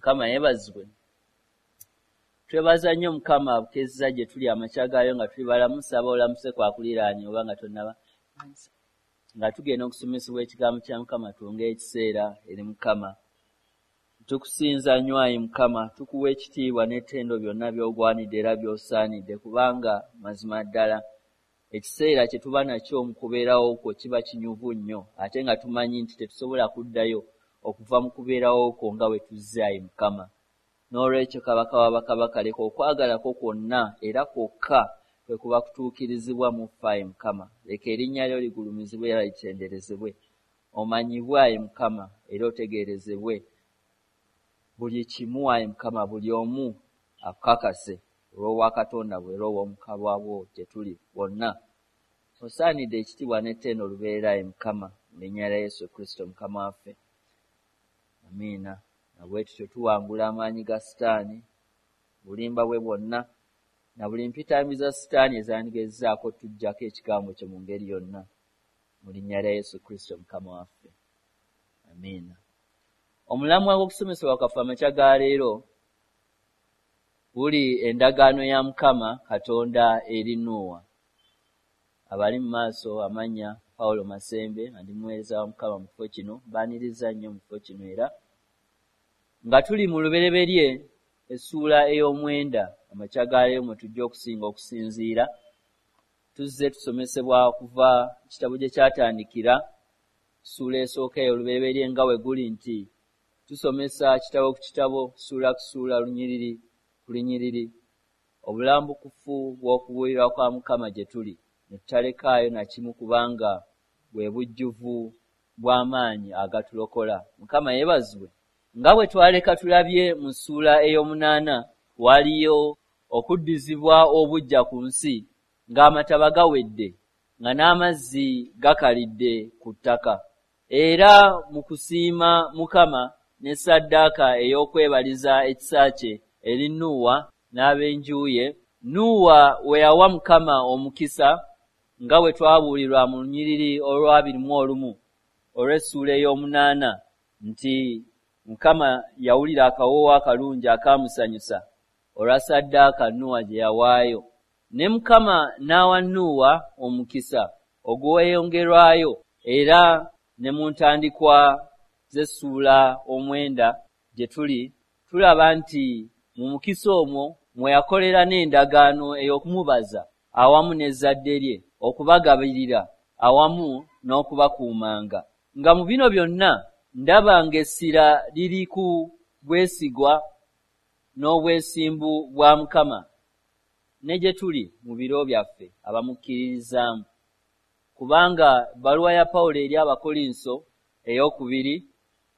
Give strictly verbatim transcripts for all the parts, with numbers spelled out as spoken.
Mukama yeebazibwe. Twebaza nnyo Mukama abukeezza gye tuli amakya gaayo nga tuli balamu. Saba olamuse kwakuliraanye oba nga tonnaba, nga tugenda okusomesebwa ekigambo kya Mukama. Twongere ekiseera eri Mukama. Tukusinza nnyo ayi Mukama, tukuwa ekitiibwa n'ettendo byonna by'ogwanidde era by'osaanidde, kubanga mazima ddala ekiseera kye tuba nakyo mu kubeerawo kwo kiba kinyuvu nnyo, ate nga tumanyi nti tetusobola kuddayo okuva mu kubeerawo kwo nga bwe tuzze ayi Mukama. N'olwekyo Kabaka w'abakabaka, leka okwagala kwo kwonna era kwokka kwe kuba kutuukirizibwa mu ffe ayi Mukama. Leka erinnya lyo ligulumizibwe era litenderezebwe, omanyibwe ayi Mukama era otegeerezebwe buli kimu ayi Mukama, buli omu akukakase olw'obwakatonda bwe era obw'omukabwa bwo gye tuli bonna. Osaanidde ekitiibwa n'ettendo olubeerera ayi Mukama, mu linnya lya Yesu Kristo Mukama waffe, amiina. Na bwe tutyo tuwangula amaanyi ga Sitaani, bulimba bwe bwonna na buli mpitambi za Sitaani ezandigezzaako tujjako ekigambo kye mu ngeri yonna, mu linnya lya Yesu Kristo Mukama waffe, amiina. Omulamwa gw'okusomesebwa kwaffe amakya ga leero guli endagaano ya Mukama Katonda eri Nuuwa. Abali mu maaso amannya Pawulo Masembe, nga ndi muweereza wa Mukama mu kifo kino, mbaaniriza nnyo mu kifo kino. Era nga tuli mu Lubereberye essuula ey'omwenda amakya ga leero mwe tujja okusinga okusinziira. Tuzze tusomesebwa okuva ekitabo gye kyatandikira, ssuula esooka ey'Olubereberye, nga bwe guli nti tusomesa kitabo ku kitabo, ssuula ku ssuula, lunyiriri ku lunyiriri, obulambukufu bw'okubuulirwa kwa Mukama gye tuli, ne tutalekaayo na kimu, kubanga bwe bujjuvu bw'amaanyi agatulokola. Mukama yeebazibwe. Nga bwe twaleka tulabye mu ssuula ey'omunaana, waliyo okuddizibwa obuggya ku nsi ng'amataba gawedde, nga n'amazzi gakalidde ku ttaka. Era mu kusiima Mukama ne ssaddaaka ey'okwebaliza ekisa kye eri Nuuwa n'ab'enju ye, Nuuwa we yawa Mukama omukisa nga bwe twabuulirwa mu lunyiriri olw'abiri mu olumu olw'essuula ey'omunaana nti Mukama yawulira akawoowo akalungi akaamusanyusa olwa ssaddaaka Nuuwa gye yawaayo. Ne Mukama n'awa Nuuwa omukisa ogweyongerwayo, era ne mu ntandikwa z'essuula omwenda gye tuli tulaba nti mu mukisa omwo mwe yakolera n'endagaano ey'okumubaza awamu n'ezzadde lye, okubagabirira awamu n'okubakuumanga. Nga mu bino byonna ndaba ng'essira liri ku bwesigwa n'obwesimbu bwa Mukama ne gye tuli mu biro byaffe abamukkiririzaamu. Kubanga ebbaluwa ya Pawulo eri Abakolinso ey'okubiri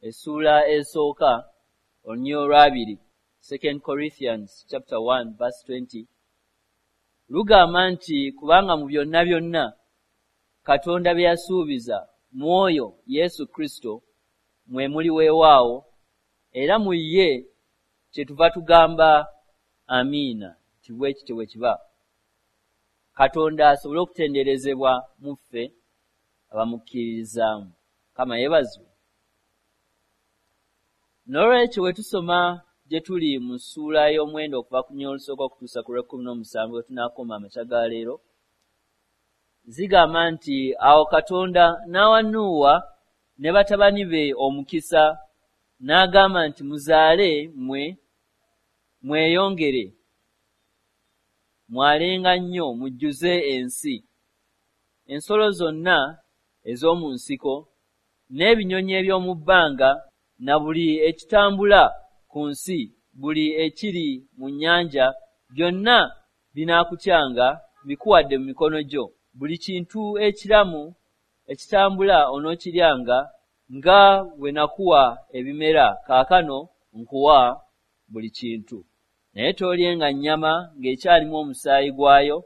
essuula esooka olunyiriri olw'abiri, Second Corinthians chapter one verse twenty, lugamba nti kubanga mu byonna byonna Katonda bye yasuubiza mu oyo Yesu Kristo mwe muli weewaawo, era mu ye kyetuva tugamba amiina nti bwe kityo bwe kiba. Katonda asobole okutenderezebwa mu ffe abamukkiririzaamu. Mukama yeebazibwe. N'olwekyo bwe tusoma gye tuli mu ssuula ey'omwenda okuva ku lunyiriri olusooka okutuusa ku lw'ekkumi n'omusanvu we tunaakoma amakya ga leero, zigamba nti awo Katonda n'awa Nuuwa ne batabani be omukisa, n'agamba nti muzaale mmwe mweyongere, mwalenga nnyo mujjuze ensi, ensolo zonna ez'omu nsiko n'ebinyonyi eby'omu bbanga na buli ekitambula ku nsi, buli ekiri mu nnyanja, byonna binaakutyanga, mbikuwadde mu mikono gyo. Buli kintu ekiramu ekitambula onookiryanga, nga bwe nakuwa ebimera, kaakano nkuwa buli kintu. Naye toolyenga nnyama ng'ekyalimu omusaayi gwayo,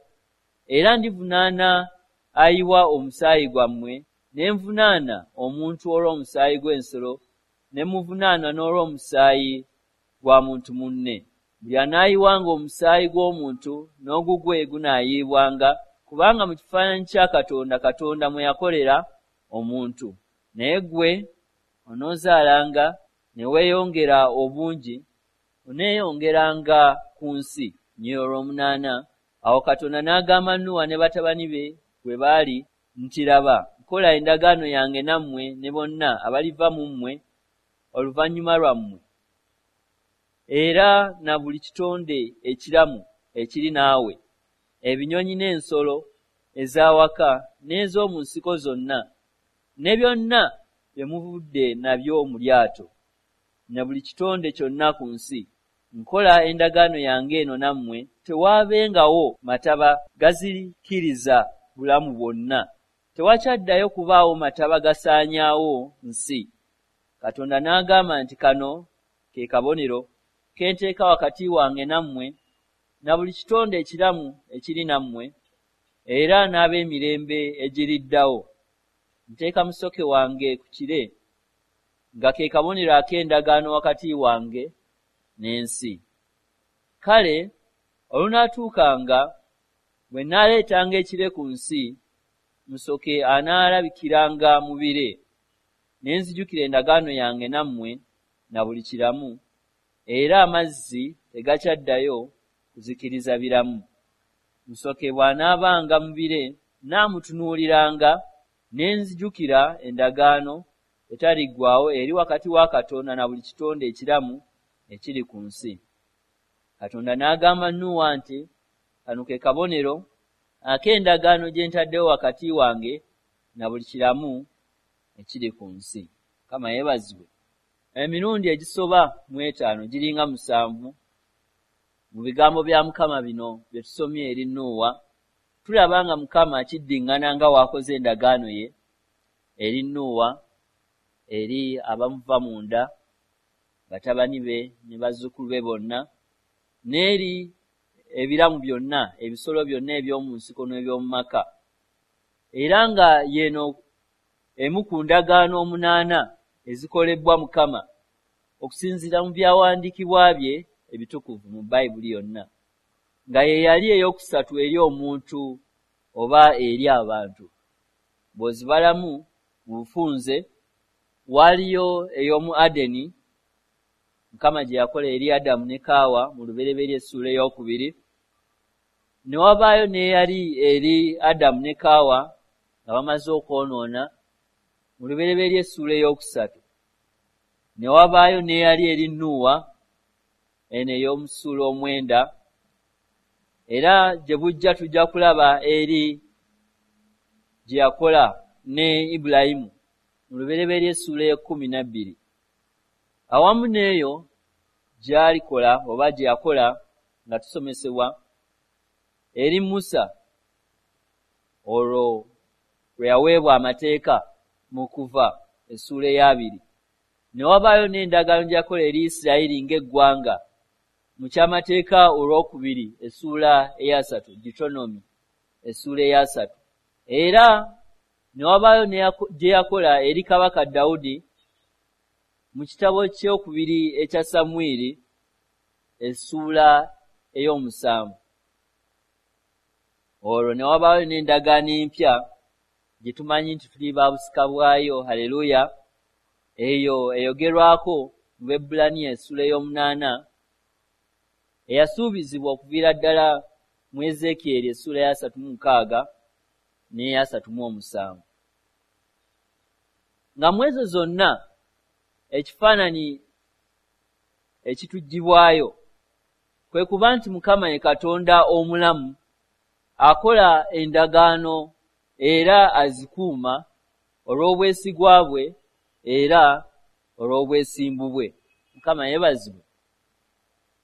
era ndivunaana ayiwa omusaayi gwammwe, ne nvunaana omuntu olw'omusaayi gw'ensolo, ne muvunaana n'olw'omusaayi gwa muntu munne. Buli anaayiwanga omusaayi gw'omuntu n'ogugwe gunaayiibwanga, kubanga mu kifaananyi kya Katonda Katonda mwe yakolera omuntu. Naye ggwe onoozaalanga ne weeyongera obungi, oneeyongeranga ku nsi. Nnyo olw'omunaana, awo Katonda n'agamba Nuwa ne batabani be bwe baali nti, laba, nkola endagaano yange nammwe ne bonna abaliva mu mmwe oluvannyuma lwammwe, era na buli kitonde ekiramu ekiri naawe, ebinyonyi n'ensolo ez'awaka n'ez'omu nsiko zonna, ne byonna bye muvudde nabyo mu lyato, na buli kitonde kyonna ku nsi. Nkola endagaano yange eno nammwe, tewaabengawo mataba gazikiriza bulamu bwonna, tewakyaddayo kubaawo mataba gasaanyaawo nsi. Katonda n'agamba nti, kano ke kabonero ke nteeka wakati wange nammwe na buli kitonde ekiramu ekiri nammwe, era n'ab'emirembe egiriddawo. Nteeka musoke wange ku kire, nga ke kabonero ak'endagaano wakati wange n'ensi. Kale olunaatuukanga bwe nnaaleetanga ekire ku nsi, musoke anaalabikiranga mu bire, ne nzijukira endagaano yange nammwe na buli kiramu, era amazzi tegakyaddayo kuzikiriza biramu. Musoke bw'anaabanga mu bire, nnaamutunuuliranga, ne nzijukira endagaano etaliggwaawo eri wakati wa Katonda na buli kitonde ekiramu ekiri ku nsi. Katonda n'agamba Nuwa nti, kano ke kabonero ak'endagaano gye ntaddewo wakati wange na buli kiramu ekiri ku nsi. Mukama yeebazibwe. Emirundi egisoba mu etaano giringa musanvu mu bigambo bya Mukama bino bye tusomye eri Nuwa, tulaba nga Mukama akiddiŋŋana nga w'akoze endagaano ye eri Nuwa, eri abamuva munda, batabani be ne bazzukulu be bonna, n'eri ebiramu byonna, ebisolo byonna eby'omu nsiko n'eby'omu maka. Era nga y'eno emu ku ndagaano omunaana ezikolebwa Mukama okusinziira mu byawandiikibwa bye ebitukuvu mu Bayibuli yonna, nga ye yali ey'okusatu eri omuntu oba eri abantu. Bw'ozibalamu mu bufunze, waaliyo ey'omu Adeni, Mukama gye yakola eri Adamu ne Kaawa mu Lubereberye essuula ey'okubiri, ne wabaayo n'eyali eri Adamu ne Kaawa nga bamaze okwonoona mu Lubereberye essuula ey'okusatu, ne wabaayo n'eyali eri Nuwa, eno ey'omu ssuula omwenda, era gye bujja tujja kulaba eri gye yakola ne Ibulayimu mu Lubereberye essuula ey'ekkumi na bbiri. Awamu n'eyo gy'alikola oba gye yakola nga tusomesebwa eri Musa, olwo lwe yaweebwa amateeka mu Kuva essuula ey'abiri. Ne wabaayo n'endagaano gye yakola eri Isirayiri ng'eggwanga mu Kyamateeka olwokubiri essuula eyasatu, Deuteronomy essuula eyasatu. Era ne wabaayo gye yakola eri Kabaka Dawudi mu kitabo ky'okubiri ekya Samwiri essuula ey'omusanvu. Olwo ne wabaayo n'endagaano empya gye tumanyi nti tuli ba busika bwayo, haleluya, eyo eyogerwako mu Baebbulaniya essuula ey'omunaana, eyasuubizibwa okuviira ddala mu Ezeekyeri essuula ey'asatu mu mukaaga n'eyasatu mu omusanvu. Nga mu ezo zonna ekifaananyi ekituggyibwayo kwe kuba nti Mukama ye Katonda omulamu, akola endagaano era azikuuma olw'obwesigwa bwe era olw'obwesimbu bwe. Mukama yeebazibwe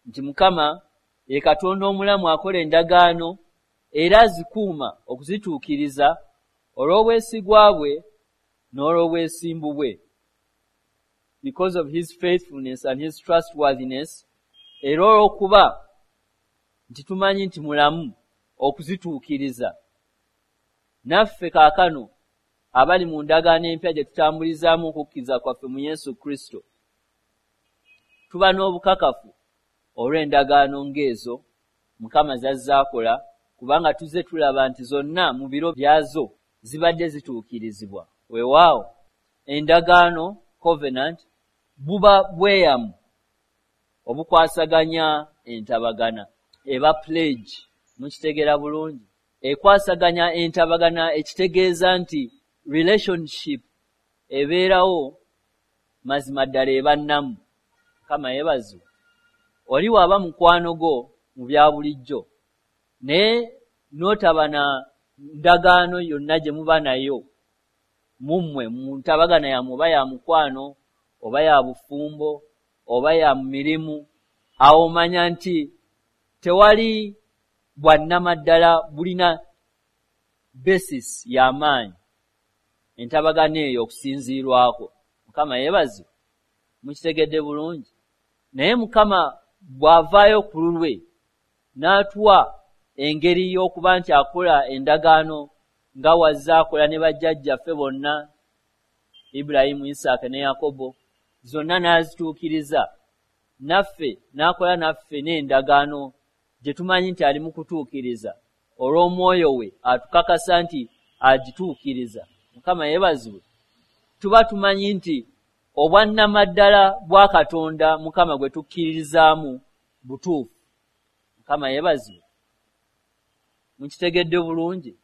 nti Mukama ye Katonda omulamu akola endagaano era azikuuma okuzituukiriza olw'obwesigwa bwe n'olw'obwesimbu bwe. Because of his faithfulness and his trustworthiness, era olw'okuba nti tumanyi nti mulamu okuzituukiriza. Naffe kaakano abali mu ndagaano empya gye tutambulizaamu okukkiriza kwaffe mu Yesu Kristo, tuba n'obukakafu olw'endagaano ng'ezo Mukama z'azze akola, kubanga tuzze tulaba nti zonna mu biro byazo zibadde zituukirizibwa. Weewaawo endagaano, covenant, buba bweyamu obukwasaganya entabagana, eba pledge. Mukitegera bulungi? Ekwasaganya entabagana, ekitegeeza nti relationship ebeerawo mazima ddala eba nnamu. Mukama yeebazibwe. Oli waba mukwano gwo mu bya bulijjo, naye n'otaba na ndagaano yonna gye muba nayo mummwe mu ntabagana yammwe, oba ya mukwano oba ya bufumbo oba ya mirimu, awo omanya nti tewali bwannamaddala bulina basis y'amaanyi entabagana eyo okusinziirwako. Mukama yeebazibwe. Mukitegedde bulungi? Naye Mukama bw'avaayo ku lulwe n'atuwa engeri y'okuba nti akola endagaano nga wazze akola ne bajjajjaffe bonna, Ibulayimu, Isaaka ne Yakobo, zonna n'azituukiriza, naffe n'akola naffe n'endagaano gye tumanyi nti ali mu kutuukiriza olw'omwoyo we atukakasa nti agituukiriza. Mukama yeebazibwe. Tuba tumanyi nti obwannamaddala bwa Katonda Mukama gwe tukkiririzaamu butuufu. Mukama yeebazibwe. Mukitegedde bulungi?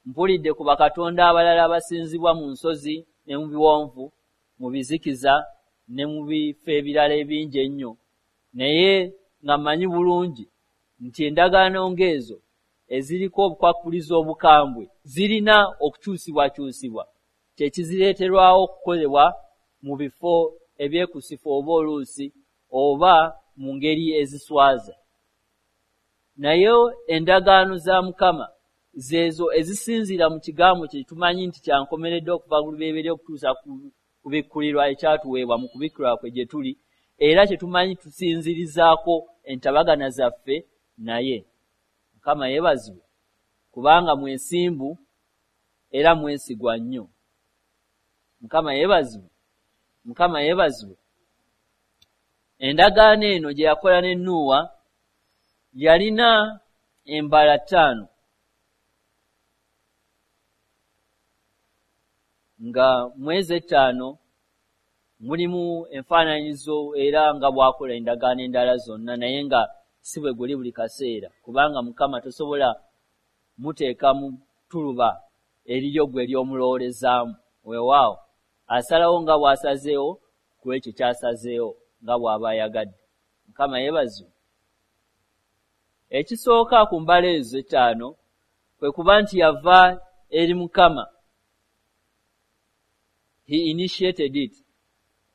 Mpulidde ku bakatonda abalala abasinzibwa mu nsozi ne mu biwonvu, mu bizikiza ne mu bifo ebirala ebingi ennyo, naye nga mmanyi bulungi nti endagaano ng'ezo eziriko obukwakkulizo obukambwe zirina okukyusibwakyusibwa, kye kizireeterwawo okukolebwa mu bifo ebyekusifu oba oluusi oba mu ngeri eziswaza. Naye endagaano za Mukama zeezo ezisinziira mu kigambo kye tumanyi nti kyankomeredde okuva ku lubereberye okutuusa ku kubikkulirwa ekyatuweebwa mu kubikkulirwa kwe gye tuli, era kye tumanyi tusinzirizaako entabagana zaffe naye. Mukama yeebazibwe, kubanga mwesimbu era mwesigwa nnyo. Mukama yeebazibwe. Mukama yeebazibwe. Endagaano eno gye yakola ne Nuuwa yalina embala ttaano, nga mwezi ettaano mulimu enfaananyizo era nga bw'akola endagaano endala zonna, naye nga si bwe guli buli kaseera, kubanga Mukama tosobola muteeka mu ttuluba eriryo gwe ly'omulowoolezaamu. Weewaawo asalawo nga bw'asazeewo ku ekyo ky'asazeewo nga bw'aba ayagadde. Mukama yeebazibwe. Ekisooka ku mbala ezo ettaano kwe kuba nti yava eri Mukama. He initiated it.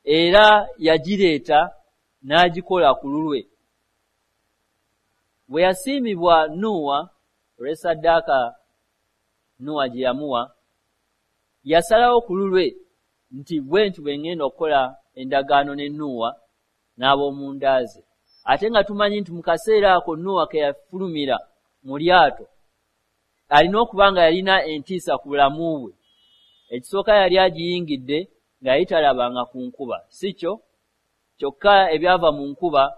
Era yagireeta n'agikola ku lulwe. Bwe yasiimibwa Nuuwa olw'essaddaaka Nuuwa gye yamuwa, yasalawo ku lulwe nti bwe nti bwe ŋŋenda okukola endagaano ne Nuuwa n'ab'omunda ze. Ate nga tumanyi nti mu kaseera ako Nuuwa ke yafulumira mu lyato, alina okuba nga yalina entiisa ku bulamu bwe. Ekisooka yali agiyingidde nga yali talabanga ku nkuba, si kyo? Kyokka ebyava mu nkuba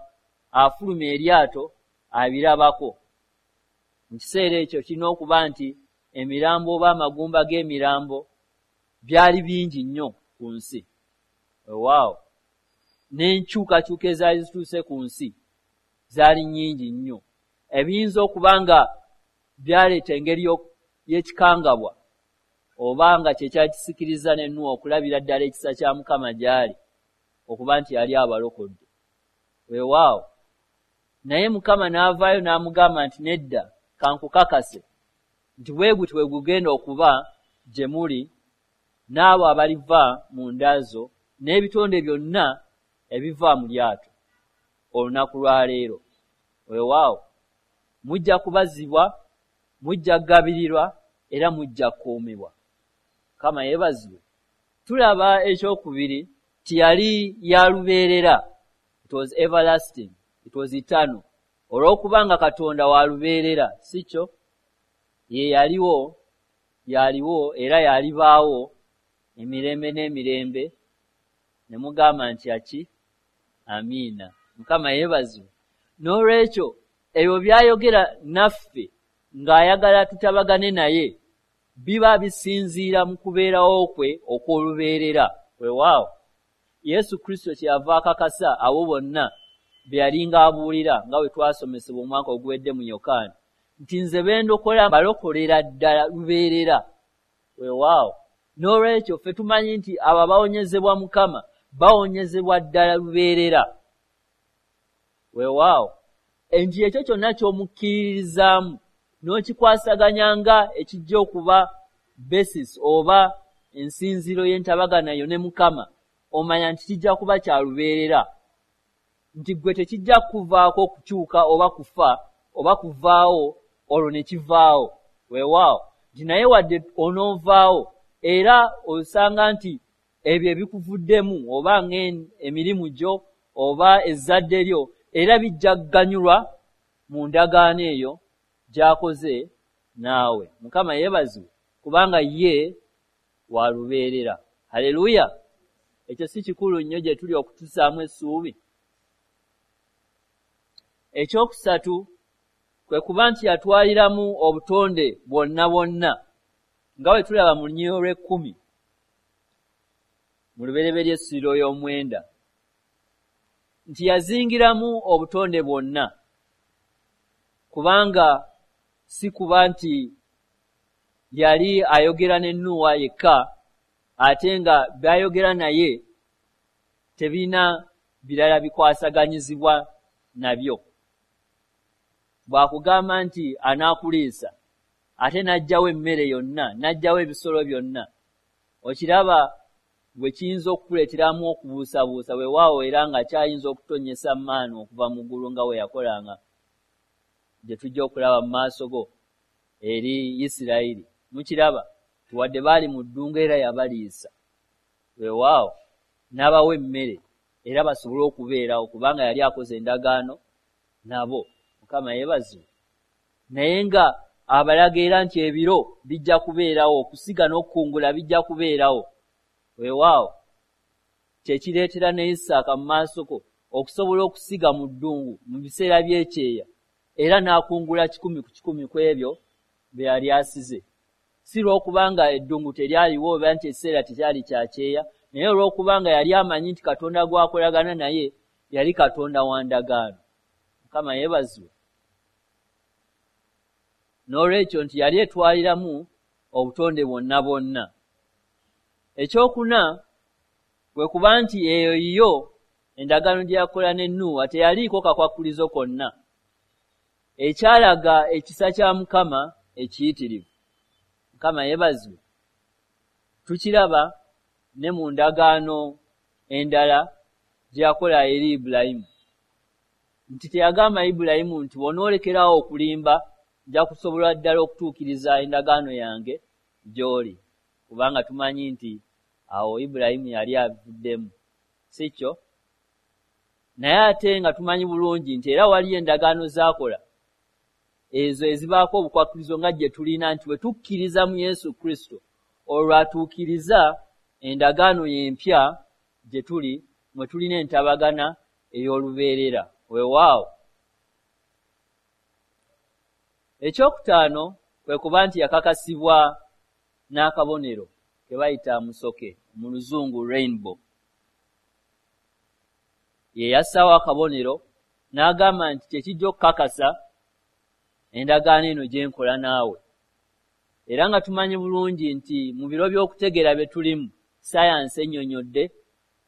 afulumya eryato abirabako. Mu kiseera ekyo kirina okuba nti emirambo oba amagumba g'emirambo byali bingi nnyo ku nsi. Weewaawo n'enkyukakyuka ezaali zituuse ku nsi zaali nnyingi nnyo, ebiyinza okuba nga byaleeta engeri y'ekikangabwa oba nga kye kyakisikiriza ne Nuuwa okulabira ddala ekisa kya Mukama gy'ali okuba nti yali abalokodde. Weewaawo naye Mukama n'avaayo n'amugamba nti nedda, kankukakase nti bwe guti bwe gugenda okuba gye muli n'abo abaliva mu nda zo n'ebitonde byonna ebiva mu lyato olunaku lwa leero. Weewaawo mujja kubazibwa, mujja kugabirirwa era mujja kukuumibwa. Mukama yeebazibwe. Tulaba ekyokubiri nti yali ya lubeerera. It was everlasting, it was eternal. Olw'okuba nga Katonda wa lubeerera, si kyo? Ye yaliwo, yaliwo era yalibaawo emirembe n'emirembe. Ne mugamba nti aki? Amiina. Mukama yeebazibwe. N'olwekyo ebyo by'ayogera naffe ng'ayagala tutabagane naye biba bisinziira mu kubeerawo kwe okw'olubeerera. Weewaawo Yesu Kristo kyeyava akakasa abo bonna be yalinga abuulira, nga bwe twasomesebwa omwaka oguwedde mu Yokaana, nti nze bendokola balokolera ddala lubeerera. Weewaawo, n'olwekyo ffe tumanyi nti abo abawonyezebwa Mukama bawonyezebwa ddala lubeerera. Weewaawo, nti ekyo kyonna ky'omukkiririzaamu n'okikwasaganya nga ekijja okuba basis oba ensinziro y'entabagana yo ne Mukama, omanya nti kijja kuba kya lubeerera, nti ggwe tekijja kukuvaako okukyuka oba kufa oba kuvaawo olwo ne kivaawo. Weewaawo, nti naye wadde onoovaawo era osanga nti ebyo ebikuvuddemu oba ng'emirimu gyo oba ezzadde lyo era bijja kuganyulwa mu ndagaano eyo gy'akoze naawe. Mukama yeebazibwe, kubanga ye wa lubeerera. Haleluya! Ekyo si kikulu nnyo gye tuli okutusaamu essuubi? Ekyokusatu kwe kuba nti yatwaliramu obutonde bwonna bwonna, nga bwe tulaba mu lunyiriri olw'ekkumi mu Lubereberye essiro y'omwenda, nti yazingiramu obutonde bwonna, kubanga si kuba nti yali ayogera ne Nuuwa yekka, ate nga by'ayogera naye tebirina birala bikwasaganyizibwa nabyo. Bw'akugamba nti anaakuliisa, ate n'aggyawo emmere yonna, n'aggyawo ebisolo byonna, okiraba bwe kiyinza okukuleeteramu okubuusabuusa. Weewaawo, era nga kyayinza okutonnyesa maanu okuva mu ggulu nga bwe yakolanga, gye tujja okulaba mu maaso go eri Isirayiri. Mukiraba, wadde baali mu ddungu era yabaliisa. Weewaawo, n'abawa emmere era basobole okubeerawo, kubanga yali akoze endagaano nabo. Mukama yeebazibwe. Naye nga abalaga era nti ebiro bijja kubeerawo, okusiga n'okukungula bijja kubeerawo. Weewaawo, kyekireetera ne Isaaka mu maaso go okusobola okusiga mu ddungu mu biseera by'ekyeya, era n'akungula kikumi ku kikumi ku ebyo bye yali asize. Si lw'okubanga eddungu teryaliwo oba nti ekiseera tekyali kya kyeya, naye olw'okubanga yali amanyi nti Katonda gw'akolagana naye yali Katonda wa ndagaano. Mukama yeebazibwe. N'olwekyo nti yali etwaliramu obutonde bwonna bwonna. Ekyokuna kwe kuba nti eyo yo endagaano gye yakola ne Nuuwa teyaliiko kakwakkulizo konna, ekyalaga ekisa kya Mukama ekiyitirivu. Mukama yeebazibwe. Tukiraba ne mu ndagaano endala gye yakola eri Ibulayimu, nti teyagamba Ibulayimu nti bw'onoolekerawo okulimba nja kusobola ddala okutuukiriza endagaano yange gy'oli, kubanga tumanyi nti awo Ibulayimu yali avuddemu, si kyo? Naye ate nga tumanyi bulungi nti era waliyo endagaano z'akola ezo ezibaako obukwakkulizo nga gye tulina, nti bwe tukkiriza mu Yesu Kristo olwo atuukiriza endagaano y'empya gye tuli, mwe tulina entabagana ey'olubeerera. Weewaawo. Ekyokutaano kwe kuba nti yakakasibwa n'akabonero ke bayita musoke, mu Luzungu rainbow. Ye yassaawo akabonero n'agamba nti kye kijja okukakasa endagaano eno gye nkola naawe. Era nga tumanyi bulungi nti mu biro by'okutegeera bye tulimu, sayansi ennyonnyodde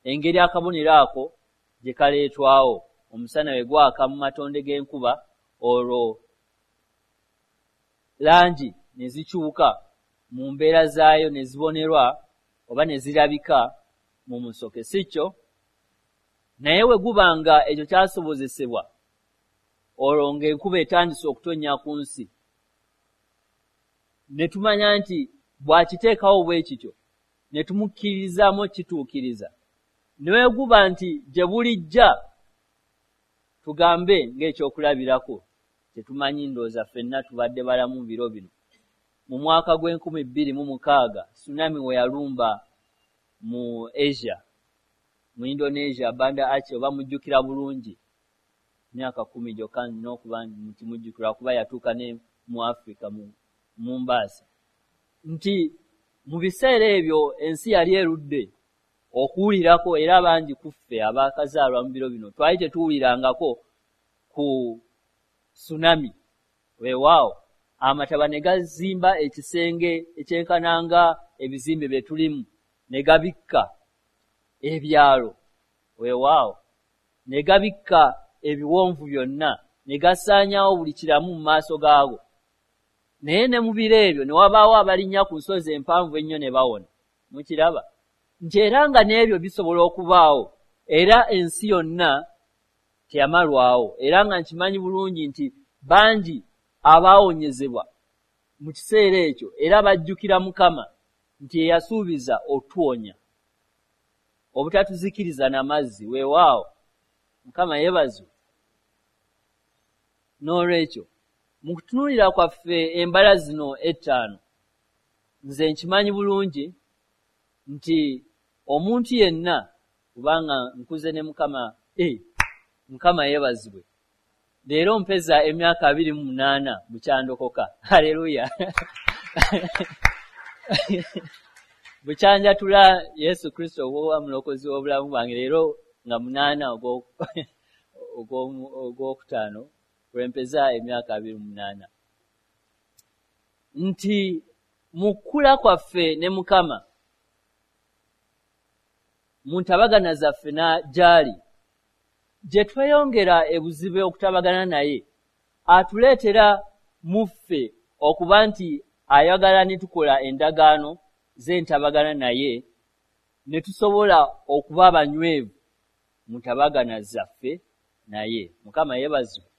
engeri akabonero ako gye kaleetwawo. Omusana we gwaka mu matonde g'enkuba, olwo langi ne zikyuka mu mbeera zaayo ne zibonerwa oba ne zirabika mu musoke, si kyo? Naye we guba nga ekyo kyasobozesebwa, olwo ng'enkuba etandise okutonnya ku nsi, ne tumanya nti bw'akiteekawo bwe kityo, ne tumukkiririzaamu okukituukiriza. Ne bwe guba nti gye bulijja, tugambe ng'ekyokulabirako tetumanyi, ndowooza ffenna tubadde balamu mu biro bino. Mu mwaka gw'enkumi bbiri mu mukaaga tsunami we yalumba mu Asia, mu Indonesia, Banda Aceh, oba mujjukira bulungi, myaka kkumi gyokka nina okuba nti mujjukira, kuba yatuuka ne mu Africa mu Mombasa. Nti mu biseera ebyo ensi yali erudde okuwulirako, era bangi ku ffe abaakazaalwa mu biro bino twali tetuwulirangako ku tsunami. Weewaawo amataba ne gazimba ekisenge ekyenkananga ebizimbe bye tulimu, ne gabikka ebyalo, weewaawo ne gabikka ebiwonvu byonna, ne gasaanyaawo buli kiramu mu maaso gaago. Naye ne mu biro ebyo ne wabaawo abalinnya ku nsozi empanvu ennyo ne bawona. Mukiraba nti era nga n'ebyo bisobola okubaawo, era ensi yonna teyamalwawo. Era nga nkimanyi bulungi nti bangi abaawonyezebwa mu kiseera ekyo era bajjukira Mukama nti eyasuubiza otuwonya obutatuzikiriza n'amazzi. Weewaawo Mukama yeebazibwe. N'olwekyo mu kutunuulira kwaffe embala zino ettaano, nze nkimanyi bulungi nti omuntu yenna, kubanga nkuze ne Mukama, eh, Mukama yeebazibwe, leero mpeza emyaka abiri mu munaana bukyandokoka. Haleluya. Bukyanjatula Yesu Kristo okuba mulokozi w'obulamu bwange leero nga munaana ogwokutaano lwempeza emyaka abiri mu munaana. Nti mu kkula kwaffe ne Mukama, mu ntabagana zaffe na gy'ali, gye tweyongera ebuzibu okutabagana naye, atuleetera mu ffe okuba nti ayagala ne tukola endagaano z'entabagana naye, ne tusobola okuba abanywevu mu ntabagana zaffe naye. Mukama yeebazibwe.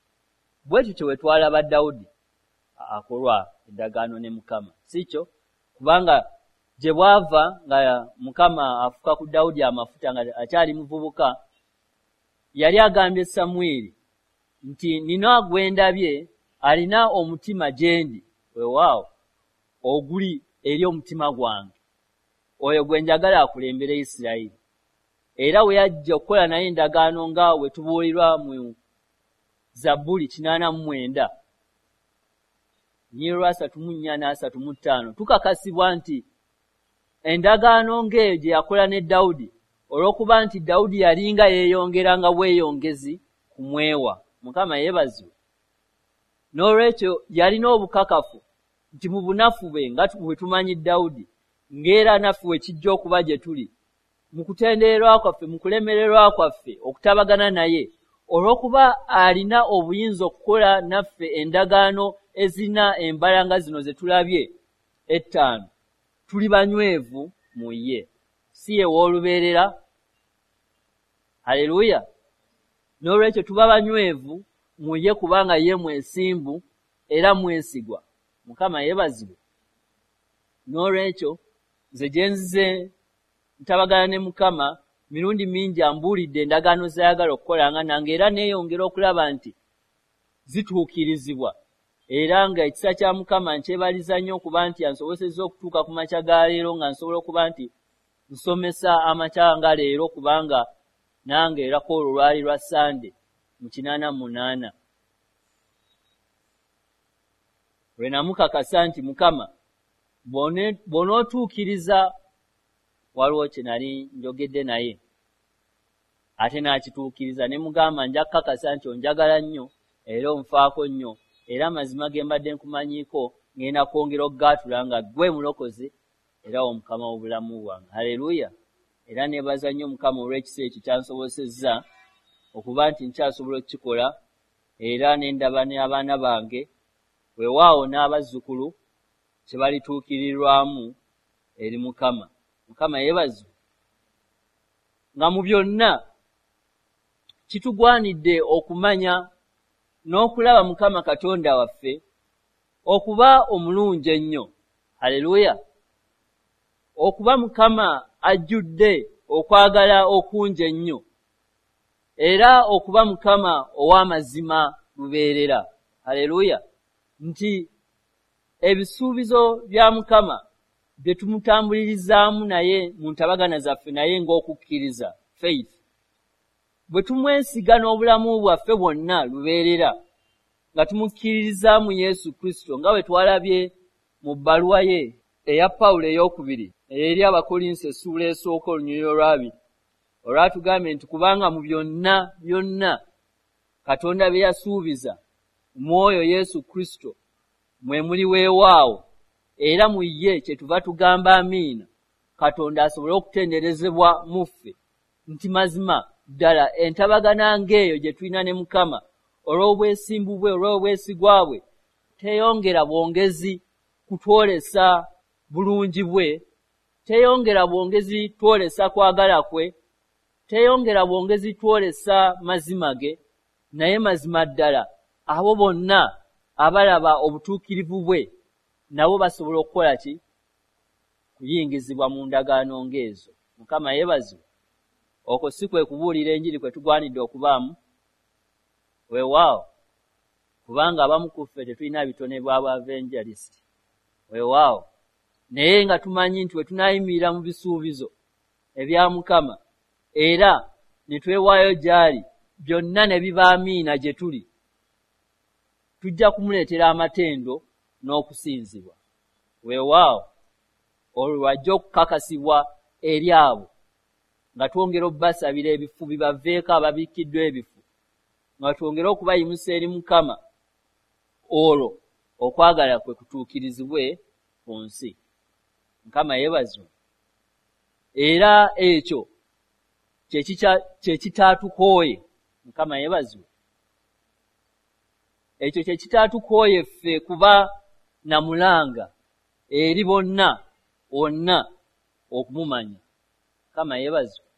Bwe tutyo bwe twalaba Dawudi akolwa endagaano ne Mukama, si kyo? Kubanga gye bwava nga Mukama afuka ku Dawudi amafuta nga akyali muvubuka, yali agambye Samwiri nti nina gwe ndabye alina omutima gye ndi, weewaawo oguli eri omutima gwange, oyo gwe njagala akulembere Isirayiri. Era we yajja okukola naye endagaano nga we tubuulirwa mu Zabbuli kinaana mu mwenda nnyiriri asatu mu nnya n'asatu mu ttaano, tukakasibwa nti endagaano ng'eyo gye yakola ne Dawudi, olw'okuba nti Dawudi yalinga yeeyongeranga bweyongezi kumwewa. Mukama yeebazibwe. N'olwekyo yalina obukakafu nti mu bunafu bwe nga bwe tumanyi Dawudi, ng'era naffe we kijja okuba gye tuli, mu kutendererwa kwaffe, mu kulemererwa kwaffe okutabagana naye, olw'okuba alina obuyinza okukola naffe endagaano ezirina embala nga zino ze tulabye ettaano, tuli banywevu mu ye, si ye w'olubeerera. Haleluya. N'olwekyo tuba banywevu mu ye kubanga ye mwesimbu era mwesigwa. Mukama yeebazibwe. N'olwekyo nze gye nzize ntabagana ne Mukama mirundi mingi ambuulidde endagaano z'ayagala okukolanga nange, era neeyongera okulaba nti zituukirizibwa. Era nga ekisa kya Mukama nkyebaliza nnyo okuba nti ansobosezza okutuuka ku makya ga leero nga nsobola okuba nti nsomesa amakya nga leero, kubanga nange era ku olwo lwali lwa Sande mu kinaana mu munaana lwe namukakasa nti Mukama bw'onootuukiriza waliwo kye nali njogedde naye ate n'akituukiriza, ne mugamba nja kukakasa nti onjagala nnyo era onfaako nnyo, era amazima ge mbadde nkumanyiiko ngenda kwongera okugaatula nga ggwe mulokozi era Omukama w'obulamu bwange. Haleluya. Era neebaza nnyo Mukama olw'ekisa ekyo kyansobosezza okuba nti nkyasobola okukikola, era ne ndaba n'abaana bange, weewaawo n'abazzukulu kye balituukirirwamu eri Mukama. Mukama yeebazibwe. Nga mu byonna kitugwanidde okumanya n'okulaba Mukama Katonda waffe okuba omulungi ennyo. Haleluya. Okuba Mukama ajjudde okwagala okungi ennyo, era okuba Mukama ow'amazima lubeerera. Haleluya. Nti ebisuubizo bya Mukama bye tumutambulirizaamu naye mu ntabagana zaffe naye ng'okukkiriza, faith, bwe tumwesiga n'obulamu bwaffe bwonna lubeerera nga tumukkiririzaamu Yesu Kristo, nga bwe twalabye mu bbaluwa ye eya Pawulo ey'okubiri eri Abakolinso essuula esooka olunyiriri olwabiri olwatugambye nti kubanga mu byonna byonna Katonda bye yasuubiza mu oyo Yesu Kristo mwe muli weewaawo, era mu ye kyetuva tugamba amiina, Katonda asobole okutenderezebwa mu ffe, nti mazima ddala entabagana ng'eyo gye tulina ne Mukama olw'obwesimbu bwe, olw'obwesigwa bwe, teyongera bwongezi kutwolesa bulungi bwe, teyongera bwongezi twolesa kwagala kwe, teyongera bwongezi twolesa mazima ge, naye mazima ddala abo bonna abalaba obutuukirivu bwe nabo basobola okukola ki? Kuyingizibwa mu ndagaano ng'ezo. Mukama yeebazibwe. Okwo si kwe kubuulira enjiri kwe tugwanidde okubaamu? Weewaawo, kubanga abamu ku ffe tetulina bitone bwa bwa-evangelist. Weewaawo, naye nga tumanyi nti we tunaayimirira mu bisuubizo ebya Mukama era ne twewaayo gy'ali, byonna ne biba amiina gye tuli, tujja kumuleetera amatendo n'okusinzibwa. Weewaawo, olwo lwajja okukakasibwa eri abo nga twongera obbasabira ebifu bibaveeko ababikkiddwa ebifu, nga twongere okubayimusa eri Mukama, olwo okwagala kwe kutuukirizibwe ku nsi. Mukama yeebazibwe. Era ekyo kye kitaatukooye. Mukama yeebazibwe. Ekyo kye kitaatukooye ffe kuba na mulanga eri bonna wonna okumumanya. Mukama yeebazibwe.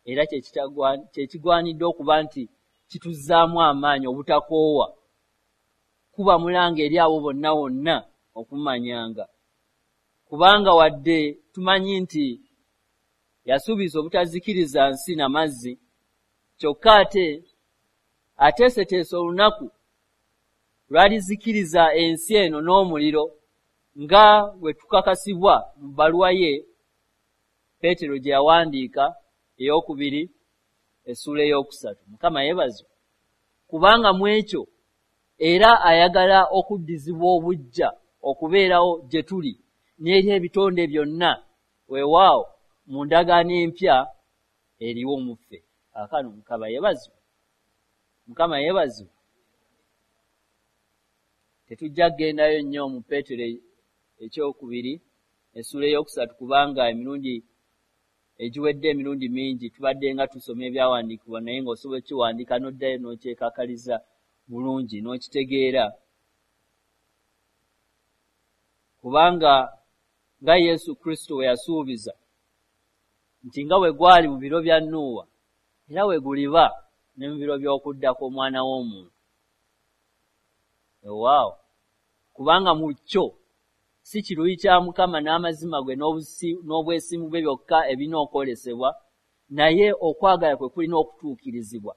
Era kye kigwanidde okuba nti kituzzaamu amaanyi obutakoowa kuba mulanga eri abo bonna wonna okumumanyanga, kubanga wadde tumanyi nti yasuubiza obutazikiriza nsi na mazzi, kyokka ate ateeseteese olunaku lw'alizikiriza ensi eno n'omuliro, nga bwe tukakasibwa mu bbaluwa ye Peetero gye yawandiika ey'okubiri essuula ey'okusatu. Mukama yeebazibwe. Kubanga mu ekyo era ayagala okuddizibwa obuggya okubeerawo gye tuli n'eri ebitonde byonna, weewaawo mu ndagaano empya eriwo mu ffe. Kaakano Mukama yeebazibwe. Mukama yeebazibwe. Tetujja kugendayo nnyo mu Peetero ekyokubiri essuula ey'okusatu, kubanga emirundi egiwedde emirundi mingi tubadde nga tusoma ebyawandiikibwa, naye ng'osobola okukiwandiika n'oddayo n'okyekakaliza bulungi n'okitegeera, kubanga nga Yesu Kristo bwe yasuubiza nti nga bwe gwali mu biro bya Nuuwa, era bwe guliba ne mu biro by'okudda kw'Omwana w'Omuntu. Weewaawo, kubanga mu kyo si kiruyi kya Mukama n'amazima gwe n'obwesimbu bwe byokka ebirina okwolesebwa, naye okwagala kwe kulina okutuukirizibwa,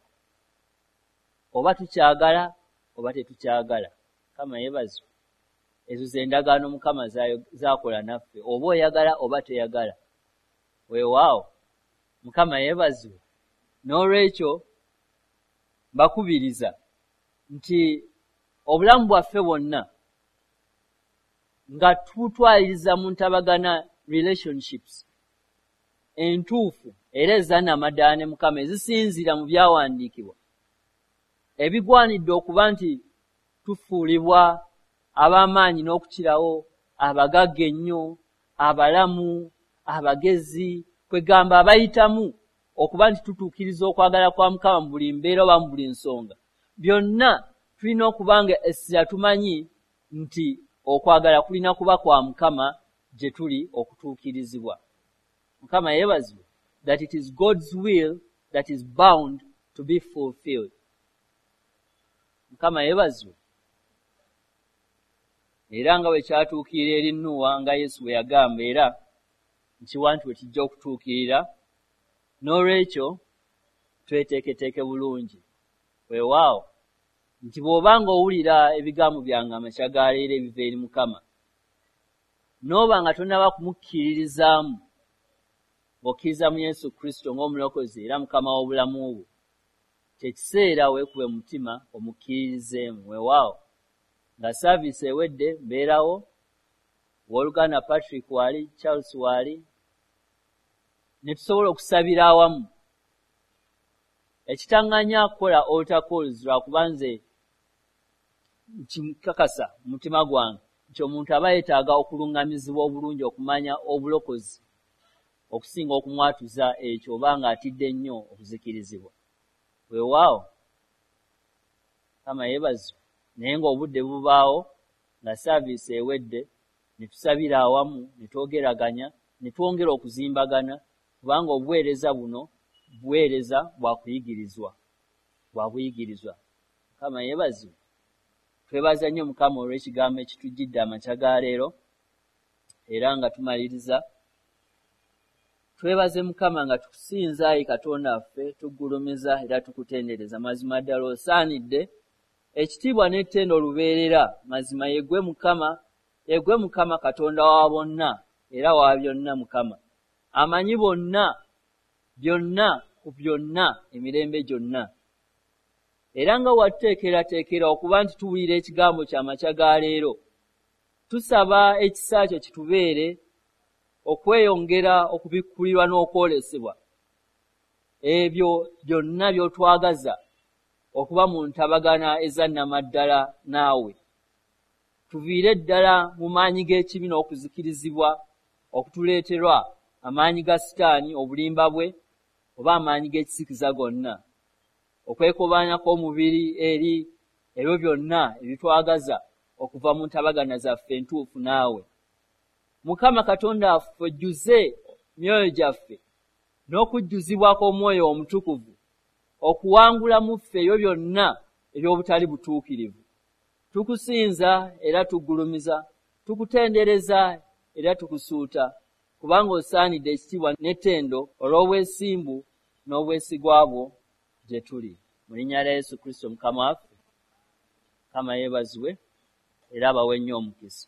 oba tukyagala oba tetukyagala. Mukama yeebazibwe. Ezo ze ndagaano Mukama z'akola naffe, oba oyagala oba toyagala. Weewaawo, Mukama yeebazibwe. N'olwekyo mbakubiriza nti obulamu bwaffe bwonna nga tubutwaliriza mu ntabagana relationships entuufu era ezannamadaala ne Mukama, ezisinziira mu byawandiikibwa, ebigwanidde okuba nti tufuulibwa ab'amaanyi n'okukirawo, abagagga ennyo, abalamu, abagezi, kwegamba abayitamu okuba nti tutuukiriza okwagala kwa Mukama mu buli mbeera oba mu buli nsonga. Byonna tulina okuba nga essira tumanyi nti okwagala kulina kuba kwa Mukama gye tuli okutuukirizibwa. Mukama yeebazibwe. That it is God's will that is bound to be fulfilled. Mukama yeebazibwe. Era nga bwe kyatuukirira eri Nuuwa, nga Yesu bwe yagamba, era nkiwa nti bwe kijja okutuukirira. N'olwekyo tweteeketeeke bulungi. Weewaawo, nti bw'oba ng'owulira ebigambo byange amakya ga leero ebiva eri Mukama, n'oba nga tonnaba kumukkiririzaamu ng'okkiriza mu Yesu Kristo ng'omulokozi era Mukama w'obulamu bwo, kye kiseera weekube mutima omukkiririzeemu. Weewaawo, nga saaviisi ewedde mbeerawo Owooluganda Patrick waali, Charles waali, ne tusobola okusabira awamu. Ekitaŋŋanya kukola altar calls lwakuba nze nkikakasa mu mutima gwange nti omuntu aba yeetaaga okuluŋŋamizibwa obulungi okumanya obulokozi okusinga okumwatuza ekyo oba ng'atidde nnyo okuzikirizibwa. Weewaawo, Mukama yeebazibwe, naye ng'obudde bubaawo nga saaviisi ewedde ne tusabira awamu, ne twogeraganya, ne twongera okuzimbagana, kubanga obuweereza buno buweereza bwa kuyigirizwa, bwa buyigirizwa. Mukama yeebazibwe. Twebaza nnyo Mukama olw'ekigambo ekitujjidde amakya ga leero, era nga tumaliriza. Twebaze Mukama nga tukusinza, ayi Katonda waffe, tuggulumiza era tukutendereza. Mazima ddala osaanidde ekitiibwa n'ettendo lubeerera. Mazima ye ggwe Mukama, ye ggwe Mukama Katonda wa bonna era wa byonna. Mukama amanyi bonna, byonna ku byonna, emirembe gyonna. Era nga watuteekerateekera okuba nti tuwulira ekigambo ky'amakya ga leero, tusaba ekisa kyo kitubeere okweyongera okubikkulirwa n'okwolesebwa ebyo byonna by'otwagaza okuba mu ntabagana eza nnamaddala naawe. Tuviire ddala mu maanyi g'ekibi n'okuzikirizibwa okutuleeterwa amaanyi ga Sitaani, obulimba bwe, oba amaanyi g'ekisikiza gonna, okwekobaana kw'omubiri eri ebyo byonna ebitwagaza okuva mu ntabagana zaffe entuufu naawe. Mukama Katonda waffe, ojjuze myoyo gyaffe n'okujjuzibwa kw'Omwoyo Omutukuvu okuwangula mu ffe ebyo byonna eby'obutali butuukirivu. Tukusinza era tuggulumiza, tukutendereza era tukusuuta, kubanga osaanidde ekitiibwa n'ettendo olw'obwesimbu n'obwesigwa bwo gye tuli. Mu linnya lya Yesu Kristo Mukama waffe. Mukama yeebazibwe era abawe nnyo omukisa.